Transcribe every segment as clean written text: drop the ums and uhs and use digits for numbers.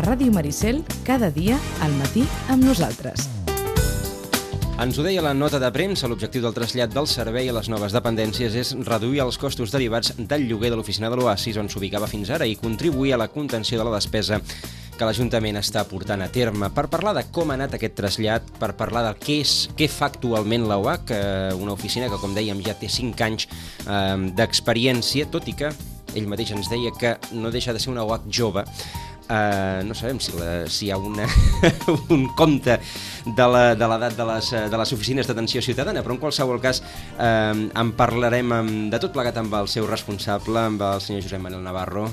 Ràdio Maricel, cada dia al matí amb nosaltres. Ens ho deia la nota de premsa, l'objectiu del trasllat del servei a les noves dependències és reduir els costos derivats del lloguer de l'oficina de l'Oasis, on s'ubicava fins ara, i contribuir a la contenció de la despesa que l'Ajuntament està portant a terme. Per parlar de com ha anat aquest trasllat, per parlar de què fa actualment l'OAC, una oficina que, com dèiem, ja té 5 anys d'experiència, tot i que ell mateix ens deia que no deixa de ser una OAC jove. No sabem si hi ha un compte de l'edat de les oficines d'atenció ciutadana, però en qualsevol cas en parlarem de tot plegat amb el seu responsable, amb el senyor Josep Manel Navarro.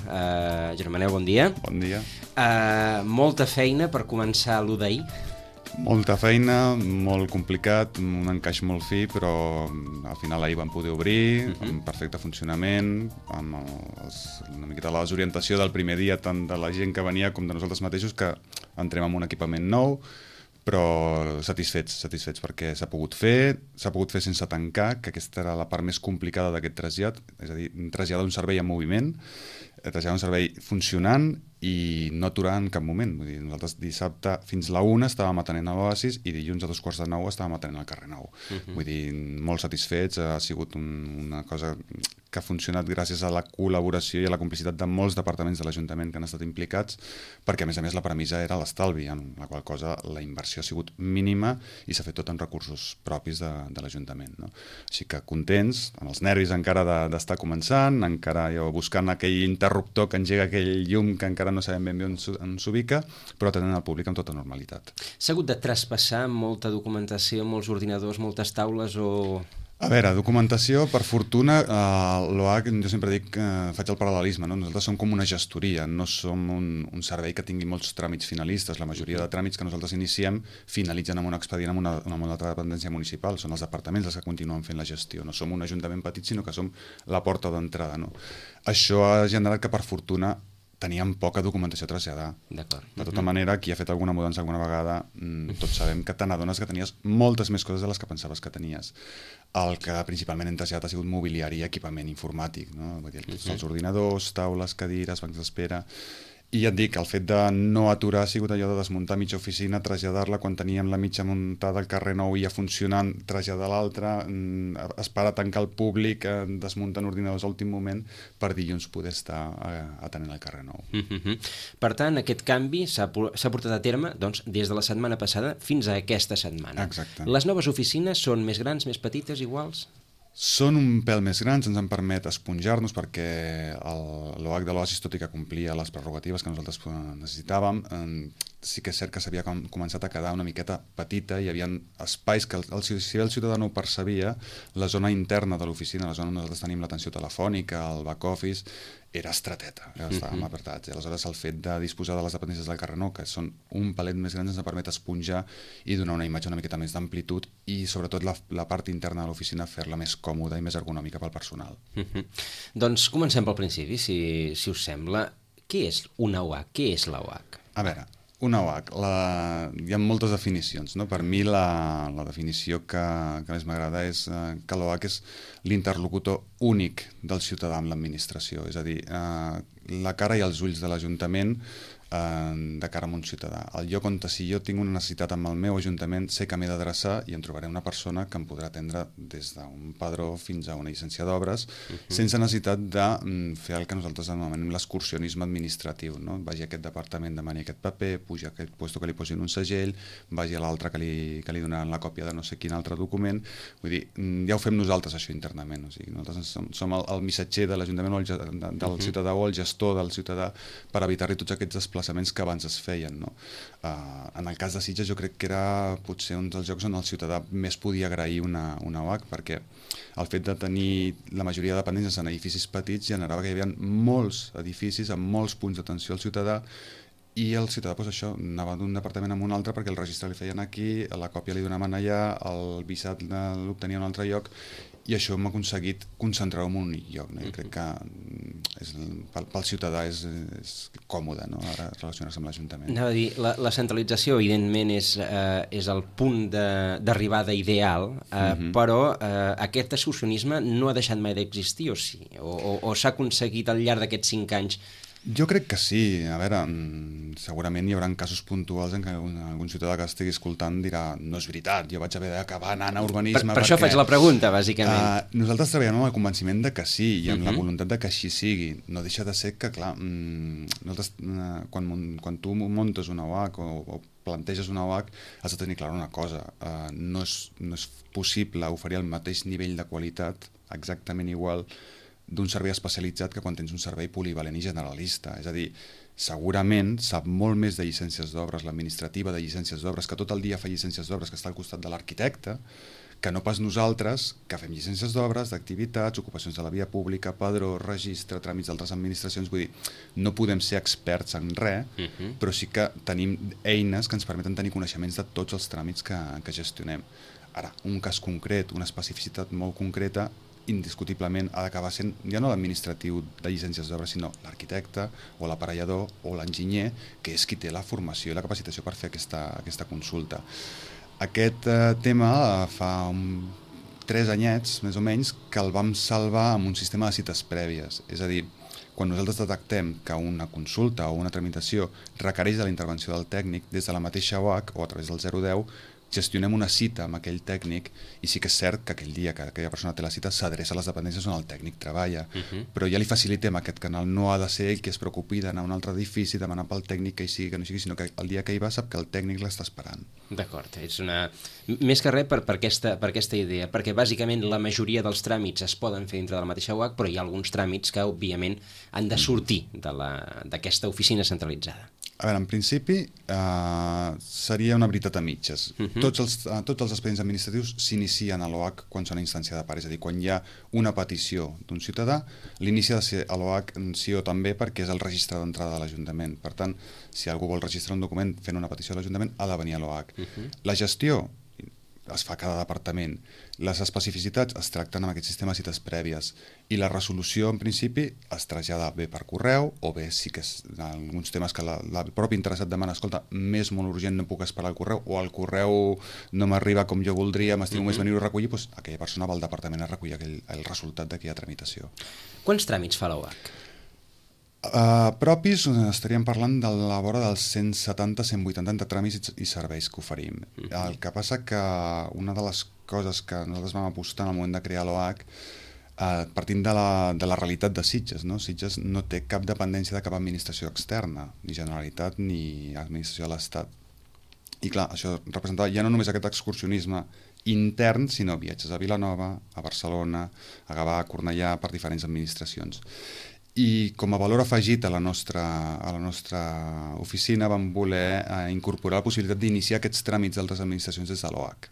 Josep Manel, bon dia. Bon dia. Molta feina per començar l'1 d'ahir. Molta feina, molt complicat, un encaix molt fi, però al final ahir vam poder obrir, amb perfecte funcionament, amb una miqueta l'orientació del primer dia, tant de la gent que venia com de nosaltres mateixos, que entrem amb un equipament nou, però satisfets perquè s'ha pogut fer sense tancar, que aquesta era la part més complicada d'aquest trasllat, és a dir, traslladar un servei en moviment, traslladar un servei funcionant i no aturar en cap moment. Vull dir, nosaltres dissabte fins la 1 estàvem atenent a l'Oasis i dilluns a 2:45 estàvem atenent al carrer Nou. Vull dir, molt satisfets, ha sigut una cosa que ha funcionat gràcies a la col·laboració i a la complicitat de molts departaments de l'Ajuntament que han estat implicats, perquè a més la premissa era l'estalvi, en la qual cosa la inversió ha sigut mínima i s'ha fet tot amb recursos propis de l'Ajuntament, no? Així que contents, amb els nervis encara d'estar començant, encara jo buscant aquell interruptor que engega aquell llum que encara no sabem ben bé on s'ubica, però atenent al públic amb tota normalitat. S'ha hagut de traspassar molta documentació, molts ordinadors, moltes taules o... A veure, documentació, per fortuna, l'OAC, jo sempre dic que faig el paral·lelisme, no? Nosaltres som com una gestoria, no som un servei que tingui molts tràmits finalistes. La majoria de tràmits que nosaltres iniciem finalitzen amb un expedient amb una altra dependència municipal. Són els departaments els que continuen fent la gestió. No som un ajuntament petit, sinó que som la porta d'entrada, no? Això ha generat que, per fortuna, teníem poca documentació a traslladar. De tota manera, qui ha fet alguna mudança alguna vegada, tots sabem que te n'adones que tenies moltes més coses de les que pensaves que tenies. El que principalment hem traslladat ha sigut mobiliari i equipament informàtic, no? Tots els ordinadors, taules, cadires, bancs d'espera... I ja et dic, el fet de no aturar ha sigut allò de desmuntar mitja oficina, traslladar-la quan teníem la mitja muntada al carrer Nou i ja funcionant, traslladar l'altra, esperar a tancar el públic, desmuntant ordinadors a l'últim moment per dilluns poder estar atenent al carrer Nou. Per tant, aquest canvi s'ha portat a terme doncs, des de la setmana passada fins a aquesta setmana. Exacte. Les noves oficines són més grans, més petites, iguals? Són un pèl més grans, ens en permet esponjar-nos perquè l'OAC de l'Oasis, tot i que complia les prerrogatives que nosaltres necessitàvem, sí que és cert que s'havia començat a quedar una miqueta petita, hi havia espais que si el ciutadà no ho percebia, la zona interna de l'oficina, la zona on nosaltres tenim l'atenció telefònica, el back-office, era estreteta, estàvem apretats. Aleshores, el fet de disposar de les dependències del carrer Nou, que són un palet més gran, ens permet esponjar i donar una imatge una miqueta més d'amplitud i, sobretot, la part interna de l'oficina fer-la més còmoda i més ergonòmica pel personal. Doncs comencem pel principi, si us sembla. Què és una OAC? Què és la OAC? A veure, una OAC, hi ha moltes definicions, no? Per mi la definició que més m'agrada és que l'OAC és l'interlocutor únic del ciutadà amb l'administració, és a dir, la cara i els ulls de l'Ajuntament de cara a un ciutadà. El lloc on, si jo tinc una necessitat amb el meu ajuntament, sé que m'he d'adreçar i em trobaré una persona que em podrà atendre des d'un padró fins a una llicència d'obres, sense necessitat de fer el que nosaltres anomenem l'excursionisme administratiu, no? Vagi a aquest departament, demani aquest paper, puja a aquest lloc que li posin un segell, vagi a l'altre que li donaran la còpia de no sé quin altre document. Vull dir, ja ho fem nosaltres, això, internament. O sigui, nosaltres som el missatger de l'Ajuntament del ciutadà o el gestor del ciutadà per evitar-li tots aquests desplaçaments que abans es feien, no? En el cas de Sitges jo crec que era potser un dels llocs on el ciutadà més podia agrair una OAC, perquè el fet de tenir la majoria de dependències en edificis petits generava que hi havia molts edificis amb molts punts d'atenció al ciutadà i el ciutadà, doncs això, anava d'un departament a un altre perquè el registre li feien aquí, la còpia li donaven allà, el visat l'obtenia a un altre lloc, i això hem aconseguit concentrar-ho en un únic lloc, no? Jo crec que pel ciutadà és còmode, no? Ara relacionar-se amb l'Ajuntament. Anava a dir, la centralització evidentment és el punt d'arribada ideal, però aquest excursionisme no ha deixat mai d'existir, o s'ha aconseguit al llarg d'aquests 5 anys Jo crec que sí. A veure, segurament hi haurà casos puntuals en què algun ciutadà que estigui escoltant dirà no és veritat, jo vaig haver d'acabar anant a urbanisme... Per això faig la pregunta, bàsicament. Nosaltres treballem amb el convenciment de que sí i amb la voluntat de que així sigui. No deixa de ser que, clar, nosaltres, quan tu muntes una OAC o planteges una OAC, has de tenir clar una cosa. No és possible oferir el mateix nivell de qualitat exactament igual d'un servei especialitzat que quan tens un servei polivalent i generalista. És a dir, segurament sap molt més de llicències d'obres, l'administrativa de llicències d'obres, que tot el dia fa llicències d'obres, que està al costat de l'arquitecte, que no pas nosaltres, que fem llicències d'obres, d'activitats, ocupacions de la via pública, padró, registre, tràmits d'altres administracions. Vull dir, no podem ser experts en res, però sí que tenim eines que ens permeten tenir coneixements de tots els tràmits que gestionem. Ara, un cas concret, una especificitat molt concreta, indiscutiblement ha d'acabar sent ja no l'administratiu de llicències d'obres, sinó l'arquitecte o l'aparellador o l'enginyer, que és qui té la formació i la capacitació per fer aquesta consulta. Aquest tema fa 3 anyets, més o menys, que el vam salvar amb un sistema de cites prèvies. És a dir, quan nosaltres detectem que una consulta o una tramitació requereix de la intervenció del tècnic, des de la mateixa OAC o a través del 010, gestionem una cita amb aquell tècnic i sí que és cert que aquell dia que aquella persona té la cita s'adreça a les dependències on el tècnic treballa, però ja li facilitem aquest canal, no ha de ser ell que es preocupi d'anar a un altre edifici, demanar pel tècnic que hi sigui, que no sigui, sinó que el dia que hi va sap que el tècnic l'està esperant. D'acord, és més que res per aquesta idea, perquè bàsicament la majoria dels tràmits es poden fer dintre de la mateixa UAC, però hi ha alguns tràmits que òbviament han de sortir d'aquesta oficina centralitzada. A veure, en principi seria una veritat a mitges. Tots els expedients administratius s'inicien a l'OAC quan són a instància de part, és a dir, quan hi ha una petició d'un ciutadà, l'inici ha de ser a l'OAC sí o també perquè és el registre d'entrada de l'Ajuntament. Per tant, si algú vol registrar un document fent una petició a l'Ajuntament, ha de venir a l'OAC. La gestió es fa a cada departament. Les especificitats es tracten amb aquest sistema de cites prèvies i la resolució, en principi, es trasllada bé per correu o bé sí que alguns temes que el propi interessat demana, escolta, m'és molt urgent, no puc esperar el correu, o el correu no m'arriba com jo voldria, m'estimo més venir-ho a recollir, doncs aquella persona va al departament a recollir el resultat d'aquella tramitació. Quants tràmits fa l'OAC? Propis estaríem parlant de la vora dels 170-180 tràmits i serveis que oferim. El que passa que una de les coses que nosaltres vam apostar en el moment de crear l'OAC, partint de la realitat de Sitges, no? Sitges no té cap dependència de cap administració externa, ni Generalitat ni administració de l'Estat. I clar, això representava ja no només aquest excursionisme intern, sinó viatges a Vilanova, a Barcelona, a Gavà, a Cornellà, per diferents administracions. I com a valor afegit a la nostra oficina vam voler incorporar la possibilitat d'iniciar aquests tràmits d'altres administracions des de l'OAC.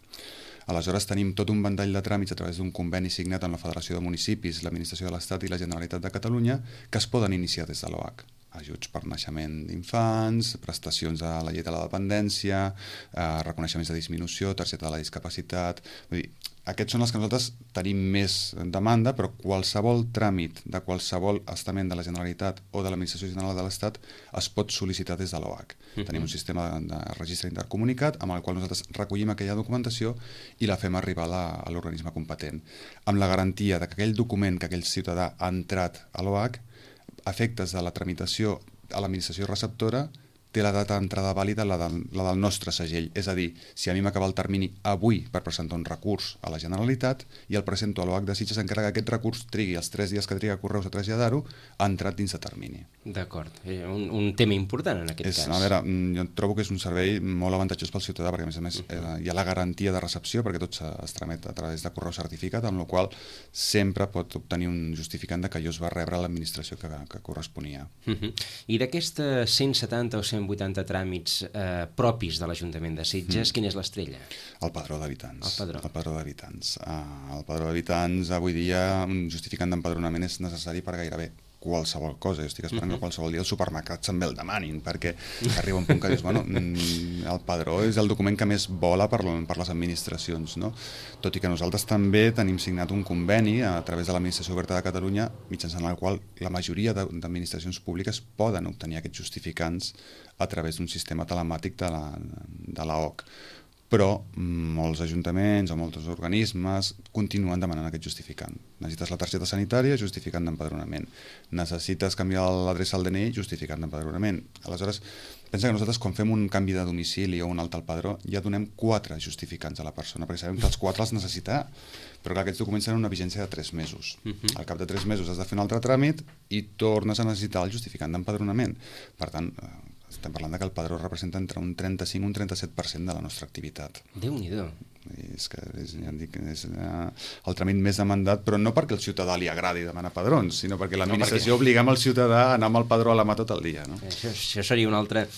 Aleshores tenim tot un ventall de tràmits a través d'un conveni signat amb la Federació de Municipis, l'Administració de l'Estat i la Generalitat de Catalunya que es poden iniciar des de l'OAC. Ajuts per naixement d'infants, prestacions de la llei de la dependència, reconeixements de disminució, targeta de la discapacitat... Vull dir, aquests són els que nosaltres tenim més demanda, però qualsevol tràmit de qualsevol estament de la Generalitat o de l'Administració General de l'Estat es pot sol·licitar des de l'OAC. Tenim un sistema de registre intercomunicat amb el qual nosaltres recollim aquella documentació i la fem arribar a l'organisme competent, amb la garantia que aquell document que aquell ciutadà ha entrat a l'OAC, a efectes de la tramitació a l'administració receptora, té la data d'entrada vàlida, la del nostre segell. És a dir, si a mi m'acaba el termini avui per presentar un recurs a la Generalitat i el presento a l'OAC de Sitges, encara que aquest recurs trigui els 3 dies que triga Correus a traslladar-ho, ha entrat dins de termini. D'acord. Un tema important en aquest cas. A veure, jo trobo que és un servei molt avantatjós pel ciutadà, perquè a més hi ha la garantia de recepció, perquè tot es tramet a través de correu certificat, amb la qual sempre pot obtenir un justificant de que allò es va rebre a l'administració que corresponia. I d'aquestes 170 o 180 tràmits propis de l'Ajuntament de Sitges, quina és l'estrella? El padró d'habitants. El padró d'habitants. El padró d'habitants, avui dia, un justificant d'empadronament és necessari per gairebé qualsevol cosa. Jo estic esperant que qualsevol dia els supermercats també el demanin, perquè arriba un punt que dius, bueno, el padró és el document que més vola per les administracions, no? Tot i que nosaltres també tenim signat un conveni a través de l'Administració Oberta de Catalunya, mitjançant el qual la majoria d'administracions públiques poden obtenir aquests justificants a través d'un sistema telemàtic de l'OAC. però molts ajuntaments o molts organismes continuen demanant aquest justificant. Necessites la targeta sanitària, justificant d'empadronament. Necessites canviar l'adreça al DNI, justificant d'empadronament. Aleshores, pensa que nosaltres quan fem un canvi de domicili o un alta al padró ja donem 4 justificants a la persona, perquè sabem que els 4 els necessita, però clar, aquests documents tenen una vigència de 3 mesos. Al cap de 3 mesos has de fer un altre tràmit i tornes a necessitar el justificant d'empadronament. Per tant, estem parlant que el padró representa entre un 35 i un 37% de la nostra activitat. Déu-n'hi-do. És que ja dic, és el tràmit més demandat, però no perquè el ciutadà li agradi demanar padrons, sinó perquè l'administració obliga el ciutadà a anar amb el padró a la mà tot el dia. No? Això seria un altre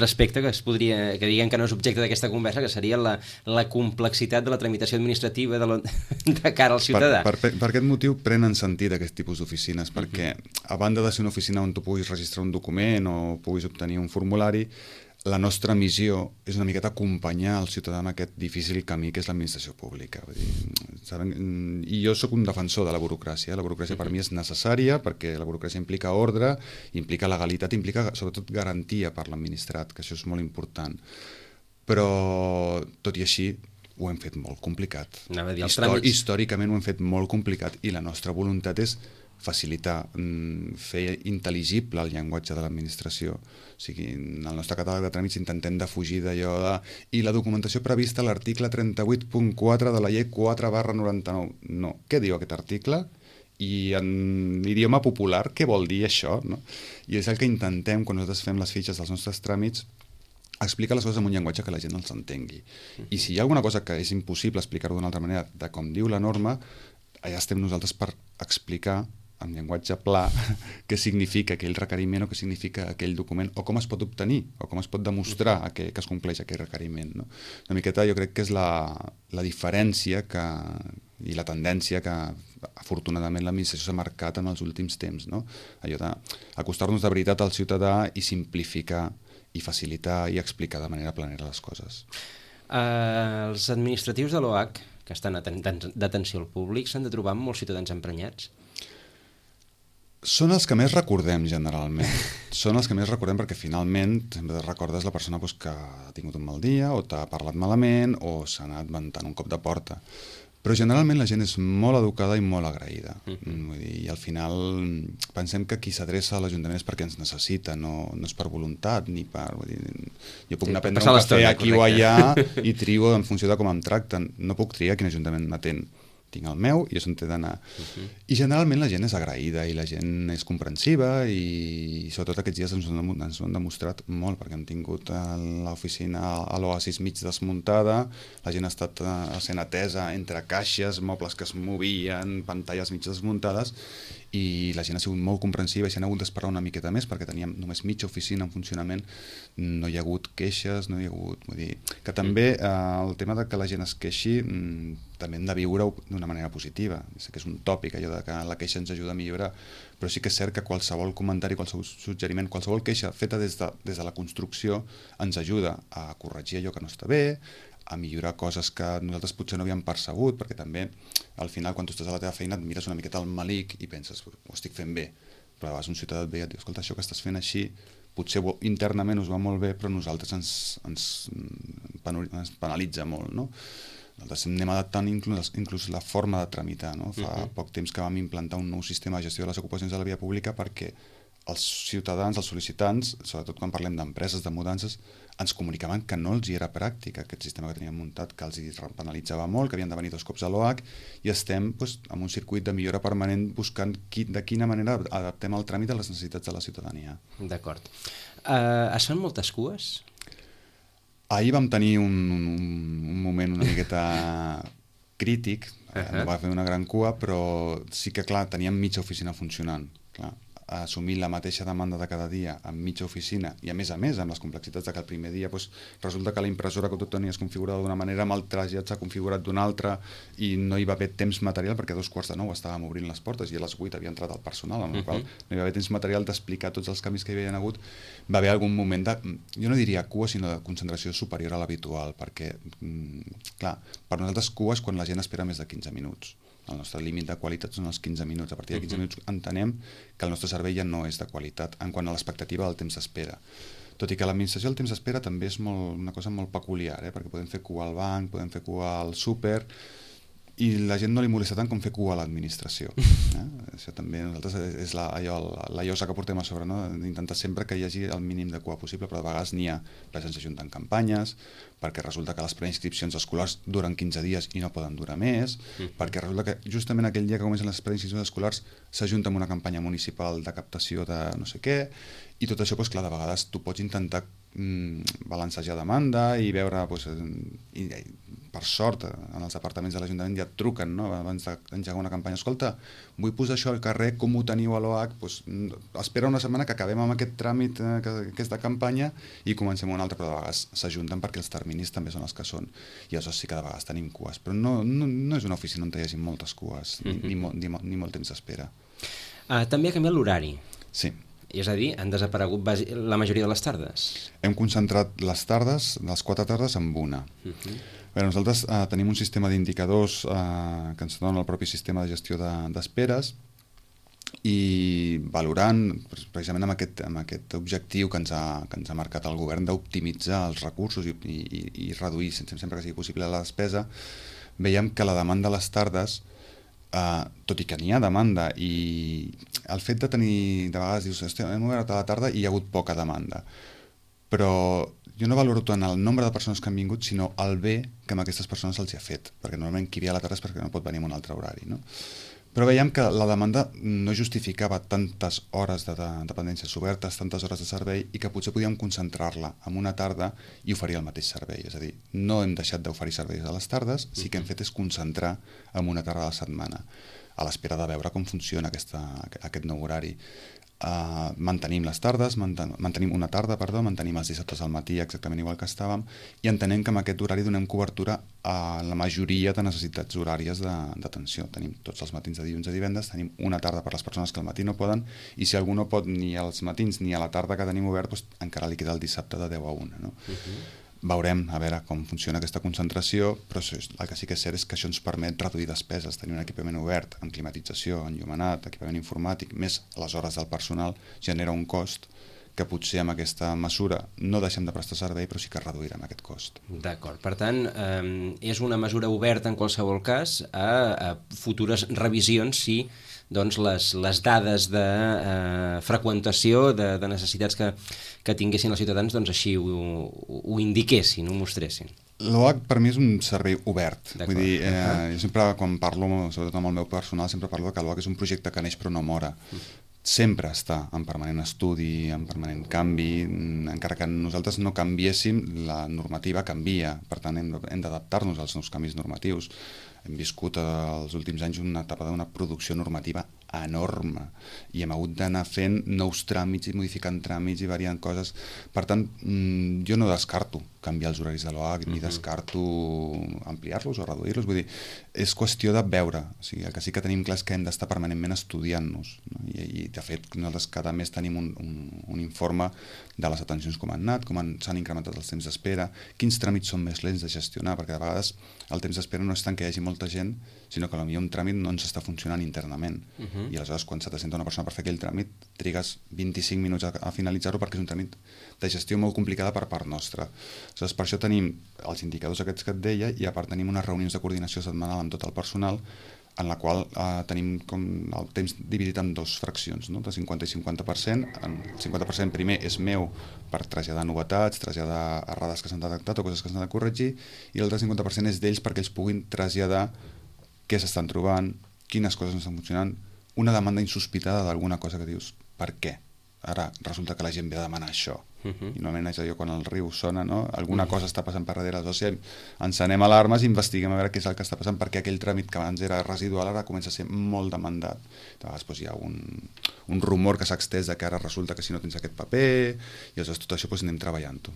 aspecte que diguem que no és objecte d'aquesta conversa, que seria la complexitat de la tramitació administrativa de cara al ciutadà. Per aquest motiu prenen sentit aquest tipus d'oficines, perquè a banda de ser una oficina on tu puguis registrar un document o puguis obtenir un formulari, la nostra missió és una miqueta acompanyar el ciutadà en aquest difícil camí que és l'administració pública. Vull dir, i jo sóc un defensor de la burocràcia. La burocràcia per mi és necessària perquè la burocràcia implica ordre, implica legalitat, implica sobretot garantia per l'administrat, que això és molt important. Però, tot i així, ho hem fet molt complicat. Històricament ho hem fet molt complicat i la nostra voluntat és facilitar, fer intel·ligible el llenguatge de l'administració. O sigui, en el nostre catàleg de tràmits intentem defugir d'allò de... I la documentació prevista a l'article 38.4 de la llei 4/99. No. Què diu aquest article? I en idioma popular, què vol dir això? No? I és el que intentem, quan nosaltres fem les fitxes dels nostres tràmits, explicar les coses amb un llenguatge que la gent els entengui. I si hi ha alguna cosa que és impossible explicar-ho d'una altra manera, de com diu la norma, allà estem nosaltres per explicar en llenguatge pla què significa aquell requeriment o què significa aquell document o com es pot obtenir o com es pot demostrar que es compleix aquell requeriment. No? Una miqueta jo crec que és la diferència i la tendència que afortunadament l'administració s'ha marcat en els últims temps. No? Allò d'acostar-nos de veritat al ciutadà i simplificar i facilitar i explicar de manera planera les coses. Els administratius de l'OH que estan d'atenció al públic s'han de trobar amb molts ciutadans emprenyats? Són els que més recordem, generalment. Són els que més recordem perquè finalment sempre recordes la persona que ha tingut un mal dia o t'ha parlat malament o s'ha anat ventant un cop de porta. Però generalment la gent és molt educada i molt agraïda. Vull dir, i al final pensem que qui s'adreça a l'Ajuntament és perquè ens necessita, no és per voluntat ni per... Vull dir, jo puc anar a prendre un cafè aquí o allà i trio en funció de com em tracten. No puc triar quin Ajuntament m'atén. Tinc el meu i és on t'he d'anar. I generalment la gent és agraïda i la gent és comprensiva i sobretot aquests dies ens ho han demostrat molt perquè hem tingut l'oficina a l'Oasis mig desmuntada, la gent ha estat sent atesa entre caixes, mobles que es movien, pantalles mig desmuntades i la gent ha sigut molt comprensiva i s'han hagut d'esperar una miqueta més perquè teníem només mitja oficina en funcionament, no hi ha hagut queixes, no hi ha hagut... Vull dir, que també el tema de que la gent es queixi també hem de viure-ho d'una manera positiva. Sé que és un tòpic allò de que la queixa ens ajuda a millorar, però sí que és cert que qualsevol comentari, qualsevol suggeriment, qualsevol queixa feta des de la construcció ens ajuda a corregir allò que no està bé, a millorar coses que nosaltres potser no havíem percebut, perquè també al final quan tu estàs a la teva feina et mires una miqueta al malic i penses, ho estic fent bé, però a vegades un ciutadà et ve i et diu, escolta, això que estàs fent així potser internament us va molt bé, però a nosaltres ens penalitza molt, no? Nosaltres anem adaptant inclús la forma de tramitar, no? Fa poc temps que vam implantar un nou sistema de gestió de les ocupacions de la via pública perquè els ciutadans, els sol·licitants, sobretot quan parlem d'empreses, de mudances, ens comunicaven que no els hi era pràctic aquest sistema que teníem muntat, que els hi penalitzava molt, que havien de venir 2 cops a l'OH, i estem en un circuit de millora permanent buscant de quina manera adaptem el tràmit a les necessitats de la ciutadania. D'acord. Es fan moltes cues? Ahir vam tenir un moment una miqueta crític, no va fer una gran cua, però sí que, clar, teníem mitja oficina funcionant, clar. Assumir la mateixa demanda de cada dia amb mitja oficina i a més amb les complexitats de que el primer dia resulta que la impressora que tu tenies configurada d'una manera amb el trasllat s'ha configurat d'una altra i no hi va haver temps material perquè a 2:45 estàvem obrint les portes i a les 8 havia entrat el personal, amb la qual no hi va haver temps material d'explicar tots els canvis que hi havia hagut. Va haver algun moment de, jo no diria cua, sinó de concentració superior a l'habitual, perquè clar, per nosaltres cua és quan la gent espera més de 15 minuts. El nostre límit de qualitat són els 15 minuts. A partir de 15 minuts entenem que el nostre servei ja no és de qualitat en quant a l'expectativa del temps d'espera. Tot i que l'administració del temps d'espera també és una cosa molt peculiar, perquè podem fer cua al banc, podem fer cua al súper, i la gent no li molesta tant com fer cua a l'administració. Això també nosaltres és la llosa que portem a sobre, no? D'intentar sempre que hi hagi el mínim de cua possible, però de vegades n'hi ha, perquè se'ns ajunten campanyes, perquè resulta que les preinscripcions escolars duren 15 dies i no poden durar més, perquè resulta que justament aquell dia que comencen les preinscripcions escolars s'ajunta amb una campanya municipal de captació de no sé què, i tot això, clar, de vegades tu pots intentar balancejar demanda i veure, per sort, en els departaments de l'Ajuntament ja et truquen, no? Abans d'engegar una campanya. Escolta, vull posar això al carrer, com ho teniu a l'OH? Espera una setmana que acabem amb aquest tràmit, aquesta campanya, i comencem una altra, però de vegades s'ajunten perquè els terminis també són els que són. I aleshores sí que de vegades tenim cues, però no és una oficina on hi hagi moltes cues, ni molt temps d'espera. També ha canviat l'horari. Sí. És a dir, han desaparegut la majoria de les tardes. Hem concentrat les tardes, les 4 tardes, en una. Nosaltres tenim un sistema d'indicadors que ens dona el propi sistema de gestió d'esperes, i valorant precisament amb aquest objectiu que ens ha marcat el govern d'optimitzar els recursos i reduir sempre que sigui possible la despesa, veiem que la demanda a les tardes, tot i que n'hi ha demanda, i el fet de tenir, de vegades dius, hem obert a la tarda i hi ha hagut poca demanda, però jo no valoro tant el nombre de persones que han vingut, sinó el bé que a aquestes persones se'ls ha fet, perquè normalment qui ve a la tarda és perquè no pot venir en un altre horari, no? Però veiem que la demanda no justificava tantes hores de dependències obertes, tantes hores de servei, i que potser podíem concentrar-la en una tarda i oferir el mateix servei. És a dir, no hem deixat d'oferir serveis a les tardes, sí que hem fet és concentrar en una tarda a la setmana, a l'espera de veure com funciona aquest nou horari. Mantenim les tardes, mantenim una tarda, mantenim els dissabtes al matí exactament igual que estàvem, i entenem que amb aquest horari donem cobertura a la majoria de necessitats horàries d'atenció. Tenim tots els matins de dilluns a divendres, tenim una tarda per les persones que al matí no poden, i si algú no pot ni als matins ni a la tarda que tenim obert, encara li queda el dissabte de 10 a 1. No? Veurem a veure com funciona aquesta concentració, però el que sí que és cert és que això ens permet reduir despeses, tenir un equipament obert amb climatització, enllumenat, equipament informàtic, més les hores del personal, genera un cost que potser amb aquesta mesura no deixem de prestar servei, però sí que reduirem aquest cost. D'acord, per tant, és una mesura oberta en qualsevol cas a futures revisions si doncs, les dades de freqüentació, de necessitats que tinguessin els ciutadans, doncs així ho indiquessin, ho mostressin. L'OH per mi és un servei obert. Vull dir, jo sempre quan parlo, sobretot amb el meu personal, sempre parlo que l'OH és un projecte que neix però no mora. Sempre està en permanent estudi, en permanent canvi, encara que nosaltres no canviéssim, la normativa canvia, per tant hem d'adaptar-nos als nous canvis normatius. Hem viscut els últims anys una etapa d'una producció normativa enorme i hem hagut d'anar fent nous tràmits i modificant tràmits i variant coses. Per tant, jo no descarto canviar els horaris de l'OH ni descarto ampliar-los o reduir-los. Vull dir, és qüestió de veure. O sigui, el que sí que tenim clar és que hem d'estar permanentment estudiant-nos, no? I de fet nosaltres cada mes tenim un informe de les atencions com han anat, com s'han incrementat els temps d'espera, quins tràmits són més lents de gestionar, perquè de vegades el temps d'espera no és tant que hi hagi molta gent, sinó que potser un tràmit no ens està funcionant internament. I aleshores quan se t'assenta una persona per fer aquell tràmit trigues 25 minuts a finalitzar-ho perquè és un tràmit de gestió molt complicada per part nostra. Aleshores, per això tenim els indicadors aquests que et deia, i a part tenim unes reunions de coordinació setmanal amb tot el personal en la qual tenim com el temps dividit en dues fraccions, no? De 50 i 50%. El 50% primer és meu per traslladar novetats, traslladar errades que s'han detectat o coses que s'han de corregir, i l'altre 50% és d'ells perquè ells puguin traslladar què s'estan trobant, quines coses no estan funcionant, una demanda insospitada d'alguna cosa que dius, per què? Ara resulta que la gent ve a demanar això. I normalment és allò quan el riu sona, no? Alguna cosa està passant per darrere, aleshores encenem alarmes i investiguem a veure què és el que està passant, perquè aquell tràmit que abans era residual ara comença a ser molt demandat. De vegades hi ha un rumor que s'ha extès de que ara resulta que si no tens aquest paper, i aleshores tot això anem treballant-ho.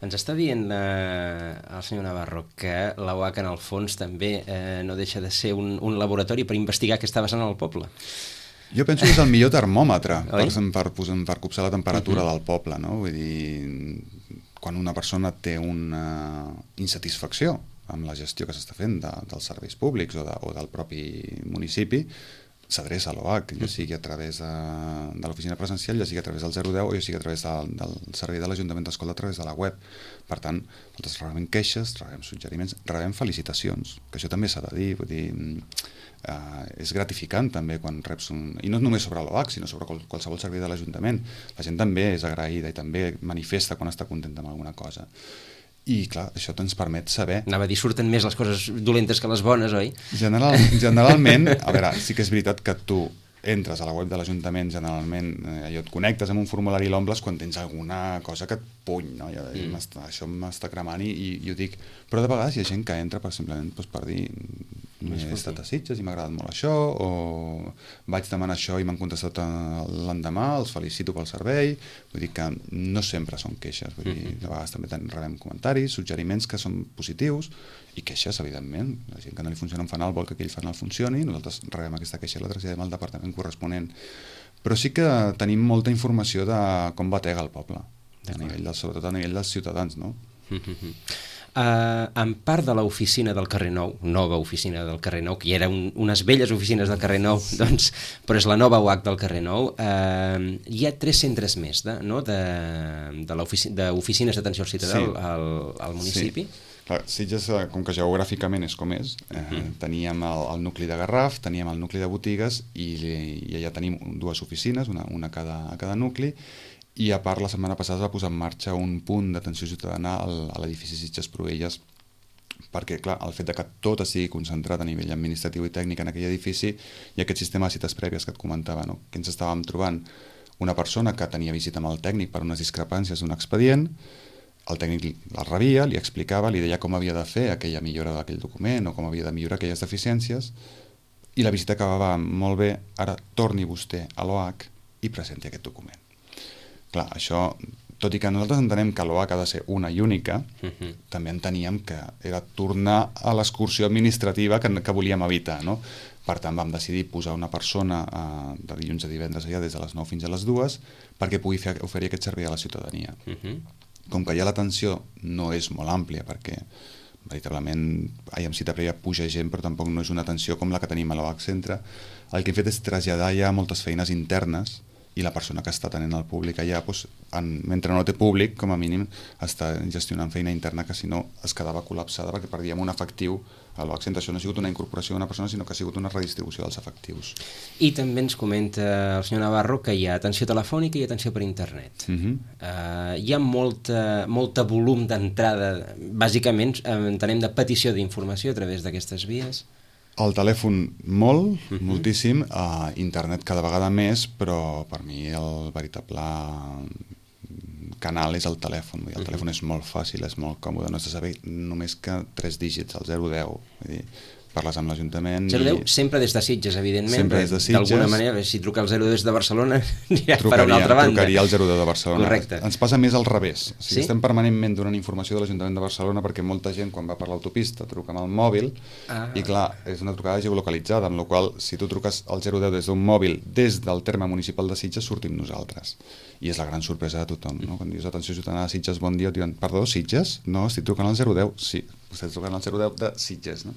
Ens està dient el senyor Navarro que la UAC en el fons també no deixa de ser un laboratori per investigar què està passant al poble. Jo penso que és el millor termòmetre per copsar la temperatura del poble, no? Vull dir, quan una persona té una insatisfacció amb la gestió que s'està fent dels serveis públics o del propi municipi, s'adreça a l'OH, ja sigui a través de l'oficina presencial, ja sigui a través del 010 o ja sigui a través del servei de l'Ajuntament d'Escolta a través de la web. Per tant, nosaltres rebem queixes, rebem suggeriments, rebem felicitacions, que això també s'ha de dir, vull dir, és gratificant també quan reps i no només sobre l'OH, sinó sobre qualsevol servei de l'Ajuntament. La gent també és agraïda i també manifesta quan està contenta amb alguna cosa. I, clar, això ens permet saber... Anava a dir, surten més les coses dolentes que les bones, oi? Generalment, a veure, sí que és veritat que tu entres a la web de l'Ajuntament, generalment allò et connectes amb un formulari i l'omples quan tens alguna cosa que et puny, no? Això m'està cremant i ho dic. Però de vegades hi ha gent que entra simplement per dir he estat a Sitges i m'ha agradat molt això, o vaig demanar això i m'han contestat l'endemà, els felicito pel servei. Vull dir que no sempre són queixes, vull dir, de vegades també rebem comentaris, suggeriments que són positius i queixes, evidentment. La gent que no li funciona un fanal vol que aquell fanal funcioni, nosaltres rebem aquesta queixa i la traslladem al departament corresponent. Però sí que tenim molta informació de com batega el poble, sobretot a nivell dels ciutadans, no? En part de l'oficina del carrer Nou, nova oficina del carrer Nou, que hi eren unes velles oficines del carrer Nou, doncs, però és la nova UAC del carrer Nou, hi ha 3 centres més d'oficines d'atenció al ciutadà al municipi. Sí. Clar, Sitges, com que geogràficament és com és, teníem el nucli de Garraf, teníem el nucli de botigues i allà tenim 2 oficines, una a cada nucli, i a part la setmana passada es va posar en marxa un punt d'atenció ciutadana a l'edifici Sitges Proelles, perquè clar, el fet de que tot estigui concentrat a nivell administratiu i tècnic en aquell edifici i aquest sistema de cites prèvies que et comentava, no? Que ens estàvem trobant una persona que tenia visita amb el tècnic per unes discrepàncies d'un expedient, el tècnic el rebia, li explicava, li deia com havia de fer aquella millora d'aquell document o com havia de millorar aquelles deficiències, i la visita acabava molt bé, ara torni vostè a l'OH i presenti aquest document. Clar, això, tot i que nosaltres entenem que l'OH ha de ser una i única, també enteníem que era tornar a l'excursió administrativa que volíem evitar, no? Per tant, vam decidir posar una persona de dilluns a divendres allà des de les 9 fins a les 2 perquè pugui oferir aquest servei a la ciutadania. Com que ja l'atenció no és molt àmplia, perquè veritablement amb cita prèvia puja gent, però tampoc no és una atenció com la que tenim a l'OH Centre, el que hem fet és traslladar ja moltes feines internes i la persona que està atenent al públic allà, mentre no té públic, com a mínim, està gestionant feina interna que si no es quedava col·lapsada perquè perdíem un efectiu a l'OH Centre. Això no ha sigut una incorporació d'una persona, sinó que ha sigut una redistribució dels efectius. I també ens comenta el senyor Navarro que hi ha atenció telefònica i atenció per internet. Hi ha molta volum d'entrada, bàsicament entenem de petició d'informació a través d'aquestes vies. El telèfon molt, moltíssim, internet cada vegada més, però per mi el veritable canal és el telèfon. El telèfon és molt fàcil, és molt còmode, no has de saber només que 3 dígits, el 010. Vull dir, parles amb l'Ajuntament... 010 sempre des de Sitges, evidentment. Sempre des de Sitges. D'alguna manera, si truca el 010 des de Barcelona, anirà per una altra banda. Trucaria el 010 de Barcelona. Correcte. Ens passa més al revés. O sigui, estem permanentment donant informació de l'Ajuntament de Barcelona perquè molta gent, quan va per l'autopista, truca amb el mòbil i, clar, és una trucada geolocalitzada, amb la qual si tu truques al 010 des d'un mòbil des del terme municipal de Sitges, sortim nosaltres. I és la gran sorpresa de tothom, no? Quan dius atenció ciutadana a Sitges, bon dia, et diuen, perdó, Sitges? No, estic trucant al 010. Sí, vostè està trucant al 010 de Sitges, no?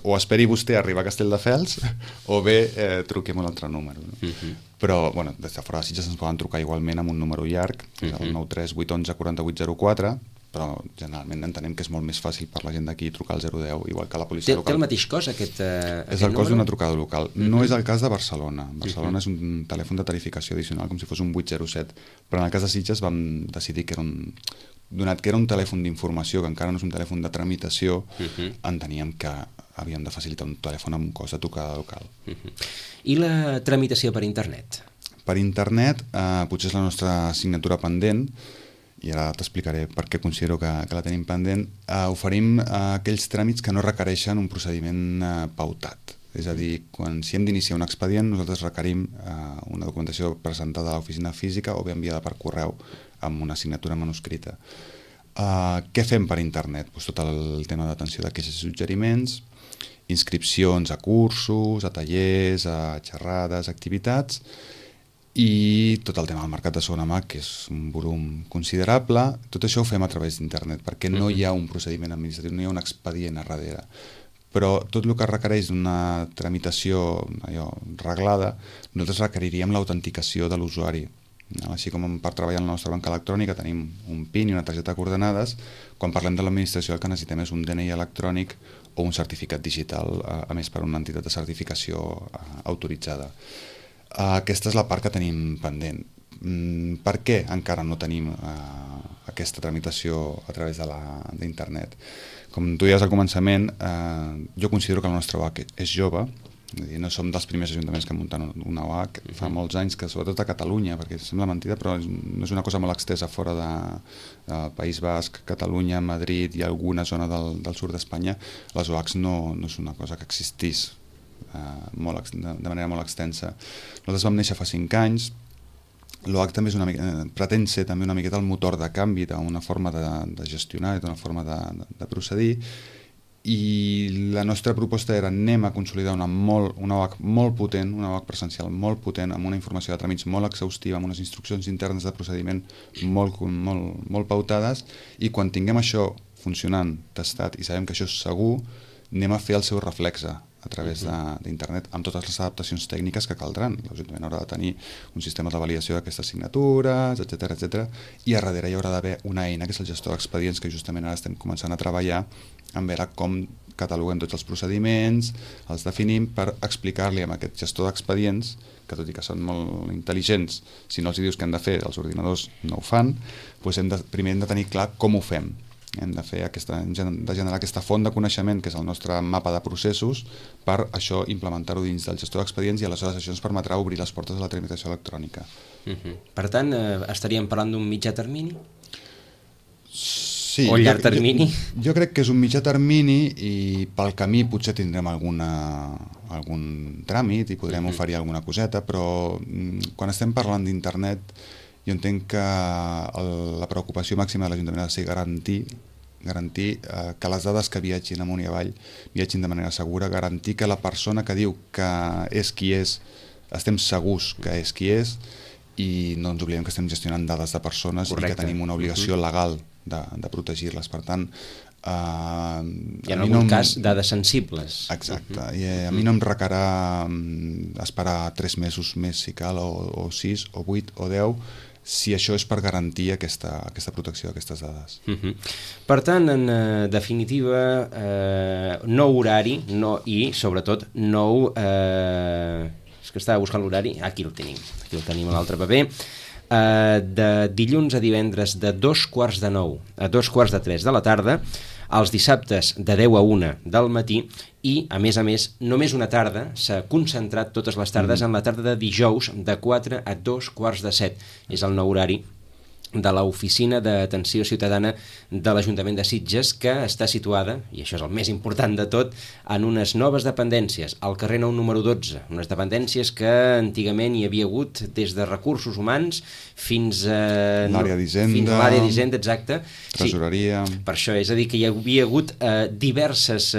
O esperi vostè a arribar a Castelldefels o bé truquem un altre número, no? Però, bueno, des de fora de Sitges ens poden trucar igualment amb un número llarg, que és el 93 811 4804, però generalment entenem que és molt més fàcil per la gent d'aquí trucar al 010, igual que la policia local. Té el mateix cost aquest número? És el cost d'una trucada local. No és el cas de Barcelona. Barcelona és un telèfon de tarificació addicional, com si fos un 807, però en el cas de Sitges vam decidir que era donat que era un telèfon d'informació, que encara no és un telèfon de tramitació, enteníem que havíem de facilitar un telèfon amb un cost de trucada local. I la tramitació per internet? Per internet potser és la nostra assignatura pendent, i ara t'explicaré per què considero que la tenim pendent. Oferim aquells tràmits que no requereixen un procediment pautat. És a dir, si hem d'iniciar un expedient, nosaltres requerim una documentació presentada a l'oficina física o bé enviada per correu amb una assignatura manuscrita. Què fem per internet? Tot el tema d'atenció de queixes i suggeriments, inscripcions a cursos, a tallers, a xerrades, activitats, i tot el tema del mercat de segona mà, que és un volum considerable. Tot això ho fem a través d'internet, perquè no hi ha un procediment administratiu, no hi ha un expedient a darrere. però tot el que requereix d'una tramitació reglada, nosaltres requeriríem l'autenticació de l'usuari. Així com per treballar en la nostra banca electrònica tenim un PIN i una targeta de coordenades, quan parlem de l'administració el que necessitem és un DNI electrònic o un certificat digital, a més per una entitat de certificació autoritzada. Aquesta és la part que tenim pendent. Per què encara no tenim aquesta tramitació a través d'internet? Com tu deies al començament, jo considero que la nostra OAC és jove. No som dels primers ajuntaments que munten una OAC, fa molts anys, que sobretot a Catalunya, perquè sembla mentida, però no és una cosa molt extensa fora del País Basc, Catalunya, Madrid i alguna zona del sud d'Espanya. Les OACs no és una cosa que existís de manera molt extensa. Nosaltres vam néixer fa 5 anys. L'OAC també pretén ser també una miqueta el motor de canvi d'una forma de gestionar i d'una forma de procedir, i la nostra proposta era anem a consolidar una OAC molt potent, una OAC presencial molt potent, amb una informació de tràmits molt exhaustiva, amb unes instruccions internes de procediment molt pautades, i quan tinguem això funcionant, testat, i sabem que això és segur, anem a fer el seu reflexe a través d'internet, amb totes les adaptacions tècniques que caldran. L'Ajuntament haurà de tenir un sistema de validació d'aquestes signatures, etc. I a darrere hi haurà d'haver una eina, que és el gestor d'expedients, que justament ara estem començant a treballar en veure com cataloguem tots els procediments, els definim per explicar-li a aquest gestor d'expedients, que tot i que són molt intel·ligents, si no els dius què han de fer, els ordinadors no ho fan, doncs primer hem de tenir clar com ho fem. Hem de generar aquesta font de coneixement, que és el nostre mapa de processos, per això implementar-ho dins del gestor d'expedients, i aleshores això ens permetrà obrir les portes de la tramitació electrònica. Per tant, estaríem parlant d'un mitjà termini? Sí, o llarg termini? Jo crec que és un mitjà termini, i pel camí potser tindrem algun tràmit i podrem oferir alguna coseta, però quan estem parlant d'internet, jo entenc que la preocupació màxima de l'Ajuntament ha de ser garantir que les dades que viatgin amunt i avall viatgin de manera segura, garantir que la persona que diu que és qui és, estem segurs que és qui és, i no ens oblidem que estem gestionant dades de persones. Correcte. I que tenim una obligació legal de protegir-les. Per tant, i en algun cas dades sensibles. Exacte, i a mi no em requerà esperar 3 mesos més si cal, o 6, o 8, o 10, si això és per garantir aquesta protecció d'aquestes dades. Per tant, en definitiva, nou horari i, sobretot, nou... És que estava buscant l'horari, aquí el tenim a l'altre paper, de dilluns a divendres de 2:45 a 2:45 de la tarda, els dissabtes de 10 a 1 del matí, i, a més, només una tarda, s'ha concentrat totes les tardes en la tarda de dijous de 4 a 2:15. És el nou horari de l'Oficina d'Atenció Ciutadana de l'Ajuntament de Sitges, que està situada, i això és el més important de tot, en unes noves dependències, al carrer Nou número 12, unes dependències que antigament hi havia hagut des de recursos humans fins a... l'àrea d'Hisenda. Fins a l'àrea d'Hisenda, exacte. Tresoreria. Sí, per això, és a dir, que hi havia hagut diverses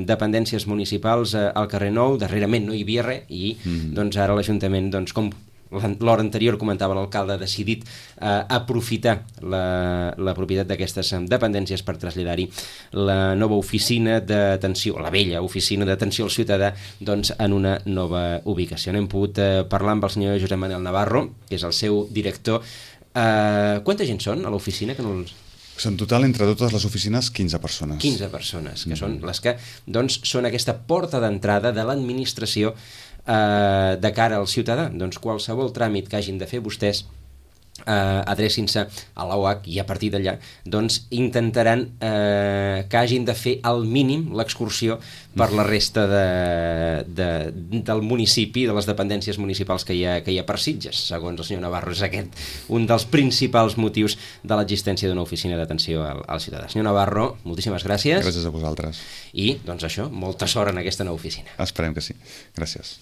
dependències municipals al carrer Nou, darrerament no hi havia res, i doncs ara l'Ajuntament, doncs, com l'hora anterior comentava l'alcalde, ha decidit aprofitar la propietat d'aquestes dependències per traslladar-hi la nova oficina d'atenció, la vella oficina d'atenció al ciutadà, doncs en una nova ubicació. Hem pogut parlar amb el senyor Josep Manel Navarro, que és el seu director. Quanta gent són a l'oficina? En total, entre totes les oficines, 15 persones. 15 persones, que són les que doncs, són aquesta porta d'entrada de l'administració de cara al ciutadà. Doncs qualsevol tràmit que hagin de fer vostès, adrecin-se a l'OAC, i a partir d'allà doncs intentaran que hagin de fer al mínim l'excursió per la resta del municipi, de les dependències municipals que hi ha per Sitges. Segons el senyor Navarro, és aquest un dels principals motius de l'existència d'una oficina d'atenció al ciutadà. Senyor Navarro, moltíssimes gràcies. Gràcies a vosaltres. I, doncs això, molta sort en aquesta nova oficina. Esperem que sí. Gràcies.